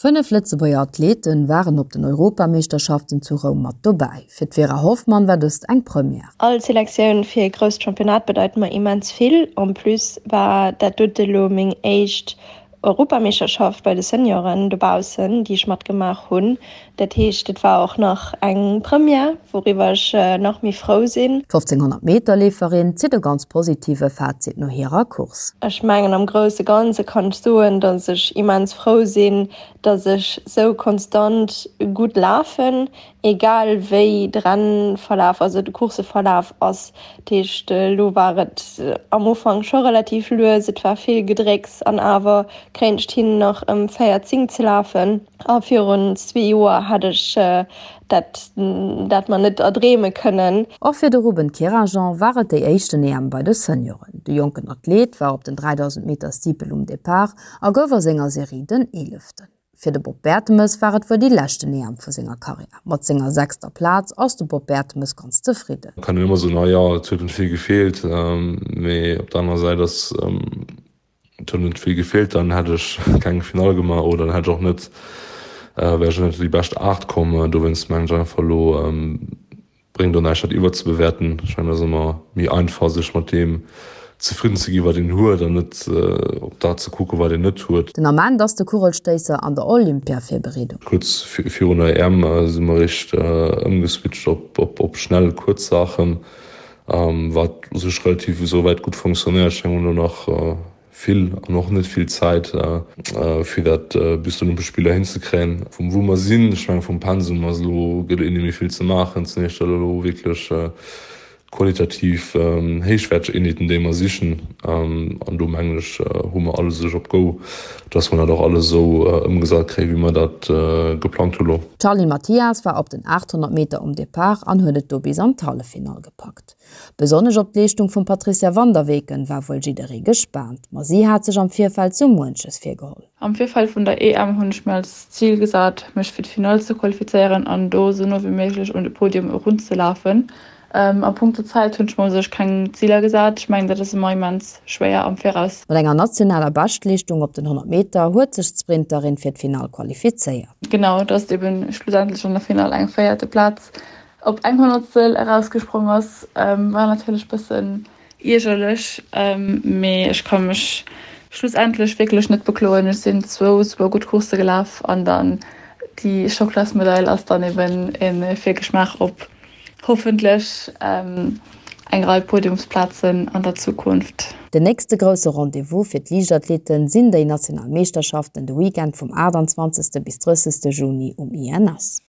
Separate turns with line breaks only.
5 Lëtzebuerger Athleten waren op den Europameeschterschaften zu Roum mat dobäi. Fir d'Vera Hoffmann war dëst eng Première.
All Selektioun fir e grousst Championnat bedeit mer immens vill. En plus war dat dote lo meng éischt Europameeschterschaft bei de Senioren dobaussen, déi ech matgemaach hunn. Dat heescht, et war och nach eng Première, wouriwwer ech nach méi frou sinn.
D' 1500 Meter Leeferin zitt e ganz positive Fazit no hirer Course.
Ech mengen am grousse Ganze kann ech soen, datt ech immens frou sinn, datt ech sou konstant gutt lafen, egal wéi de Rennverlaf, also de Courseverlaf ass. Dat heescht, elo war et am Ufank scho relativ lues, et war vill Gedrécks an awer kréien ech et hin nach ëm 14 ze lafen. A virun zwee Joer hätt ech dat dat mer net erdreeme kënnen.
Och fir de Ruben Kerajan war et déi éischten EM bei de Senioren. De jonken Athlet war op den 3000 Meter Steeple um Depart a gouf a senger Serie den Eeleften. Fir de Bob Bertemes war et wuel déi leschten EM vu senger Karriär. Mat senger sechster Plaz ass de Bob Bertemes ganz zefridden.
Kann een ëmmer soen, ah jo, et huet net vill gefeelt, mee op der anerer Säit ass Et huet net vill gefeelt, dann hätt ech keng Finall gemaach oder dann hätt ech och net, wär ech och net an déi bescht 8 komm. Dowéinst mengen ech einfach elo bréngt och näischt dat iwwerzebewäerten. Ech mengen et ass ëmmer méi einfach sech mat deem zefridden ze gi wat een huet an net op dat ze kucken wat een net huet.
Den Ament ass de Kugelstéisser an der Olympia-Virbereedung.
Kuerz virun der EM si mer eréischt ëmgeswitcht op schnell kuerz Saachen. Wat u sech relativ esouwäit gutt fonctionnéiert. Ech mengen, mir hunn elo nach vill an och net vill Zäit, fir dat bis d'Olympesch Spiller hinzekréien. Vum wou mer sinn, ech mengen, vum Pensum ass elo, gëtt et net méi vill ze maachen. Et sinn éischter elo wierklech qualitativ héichwäerteg Eenheeten, déi mer sichen. An do mengen ech, hu mer alles u sech op Go, dass mer dat och alles esou ëmgesat kréien, wéi mer dat geplangt hu lo.
D'Charly Mathias war op den 800 Meter um Depart an huet et do bis an d'Halleffinall gepackt. Besonnesch op d'Leeschtung vum Patricia Vanderweken war wuel jidderee gespaant, ma si hat sech am Virfeld sou muenches virgeholl.
Am Virfeld vun der EM hunn ech mir als Zil gesat, mech fir d'Finall ze qualifizéieren an do sou no wéi méiglech un de Podium erunzelafen. A punkto Zäit hunn ech mer u sech keng Ziler gesat. Ech mengen, dat ass ëmmer immens schwéier am Viraus.
Mat enger nationaler Beschtleeschtung op den 100 Meter huet sech d'Sprinterin fir d'Finall qualifizéiert.
Genau, dass eben schlussendlech an der Finall eng véierte Plaz op eng Honnertstel erausgesprong ass, war natierlech bëssen iergerlech, mee ech ka mech schlussendlech wierklech net bekloen. Ech sinn zwou super gutt Coursse gelaf an dann déi Schocklasmedail ass dann eben e Virgeschmaach op Hoffentlech eng Rei Podiumsplazen an der Zukunft.
Den nächste grousse Rendez-vous fir d'Liichtathleten sinn déi national Meeschterschaften de Weekend vum 28. Bis 30. Juni um INS.